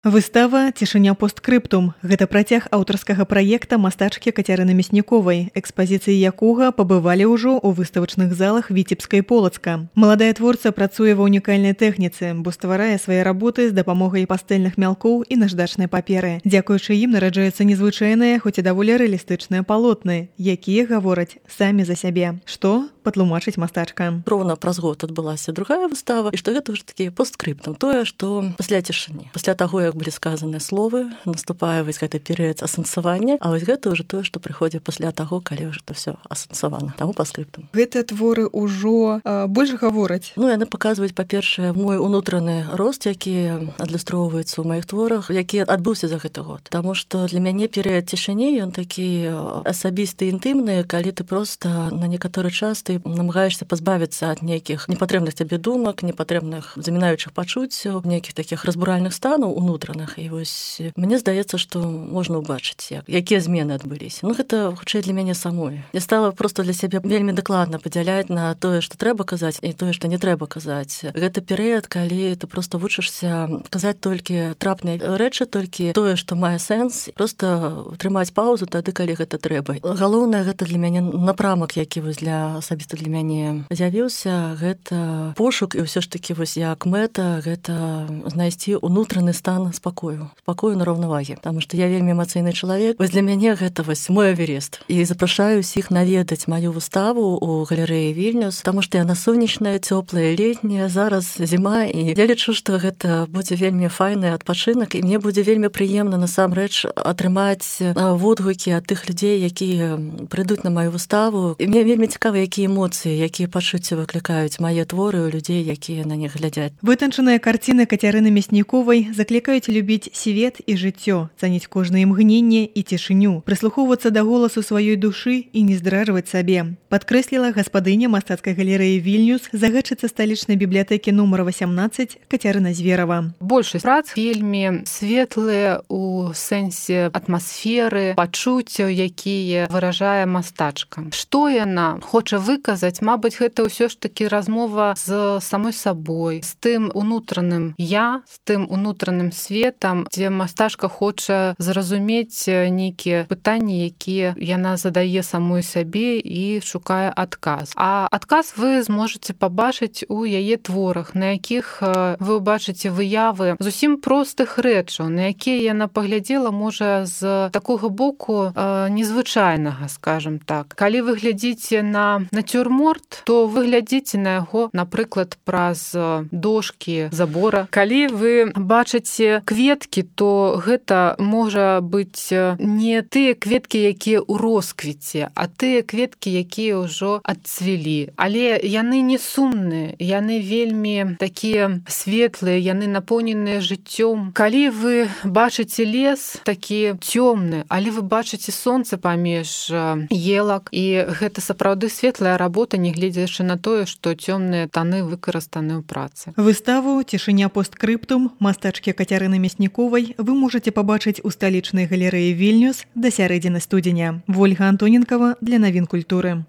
Выстава «Цішыня постскрыптум» – гэта працяг аўтарскага праекта мастачкі Кацярыны Мясніковай, экспазіцыі якога пабывалі ўжо ў выставачных залах Віцебска і Полацка. Маладая творца працуе ва ўнікальнай тэхніцы, бо стварае свае работы з дапамогай пастэльных мялкоў і наждачнай паперы. Дзякуючы ім нараджаюцца незвычайныя, хоць і даволі рэалістычныя палотны, якія гавораць самі за сябе. Што патлумачыць мастачка? Роўна праз год адбылася другая выстава, і што гэта ўжо такі постскрыптум, тое, што пасля цішыні, пасля таго, як былі сказаны словы, наступае вось гэты перыяд асэнсавання, а вось гэта ўжо тое, што прыходзіць пасля таго, калі ўжо то ўсё асэнсавана. Таму паскрыптум. Гэтыя творы ўжо больш гавораць. Яны паказваюць, па-першае, мой унутраны рост, які адлюстроўваецца ў маіх творах, які адбыўся за гэты год. Таму што для мяне перыяд цішыні, ён такі асабісты, інтымны, калі ты проста на некаторы час ты намагаешся пазбавіцца ад нейкіх непатрэбных табе думак, непатрэбных замінаючых пачуццяў, нейкіх такіх разбуральных станаў унутраных. І вось мне здаецца, што можна ўбачыць, якія змены адбыліся. Гэта хутчэй для мяне самой. Я стала проста для сябе вельмі дакладна падзяляць на тое, што трэба казаць, і тое, што не трэба казаць. Гэта перыяд, калі ты проста вучышся казаць толькі трапныя рэчы, толькі тое, што мае сэнс, проста трымаць паўзу тады, калі гэта трэба. Галоўнае, гэта для мяне напрамак, які вось асабіста для мяне з'явіўся, гэта пошук, і ўсё ж такі вось як мэта, гэта знайсці унутраны стан спакою на раўнавагі. Таму што я вельмі эмацыйны чалавек. Вось для мяне гэта вось мой эверест. І запрашаю ўсіх наведаць маю выставу ў галерэі Вільнюс, таму што яна сонечная, цёплая, летняя, зараз зіма, і я лічу, што гэта будзе вельмі файны адпачынак, і мне будзе вельмі прыемна насамрэч атрымаць водгукі ад тых людзей, якія прыйдуць на маю выставу. І мне вельмі цікава, якія эмоцыі, якія пачуцці выклікаюць мае творы ў людзей, якія на них глядзяць. Вытанчаныя карціны Кацярыны Мясніковай заклікаюць любіць свет і жыццё, цаніць кожнае імгненне і цішыню, прыслухоўвацца да голасу сваёй душы і не здражваць сабе. Падкрэсліла гаспадыня мастацкай галерэі Вільнюс, загадчыца сталічнай бібліятэкі нумар 18 Кацярына Зверава. Большасць прац вельмі светлыя ў сэнсе атмасферы, пачуццяў, якія выражае мастачка. Што яна хоча выказаць? Мабыць, гэта ўсё ж такі размова з самой сабой, з тым унутраным я, з тым унутраным светам, дзе мастачка хоча зразумець нейкія пытанні, якія яна задае самой сабе і шукае адказ. А адказ вы зможаце пабачыць у яе творах, на якіх вы ўбачыце выявы зусім простых рэчаў, на якія яна паглядзела, можа, з такога боку незвычайнага, скажам так. Калі вы глядзіце на нацюрморт, то вы глядзіце на яго, напрыклад, праз дошкі забора. Калі вы бачыце кветкі, то гэта можа быць не тыя кветкі, якія ў росквіце, а тыя кветкі, якія ўжо адцвілі. Але яны не сумныя, яны вельмі такія светлыя, яны напоўненыя жыццём. Калі вы бачыце лес такі цёмны, але вы бачыце сонца паміж елак, і гэта сапраўды светлая работа, нягледзячы на тое, што цёмныя таны выкарыстаны ў працы. Выставу «Цішыня постскрыптум» мастачкі Кацярыны Мясніковай вы можаце пабачыць у сталічнай галерэі Вільнюс да сярэдзіны студзеня. Вольга Антоненкава для навін культуры.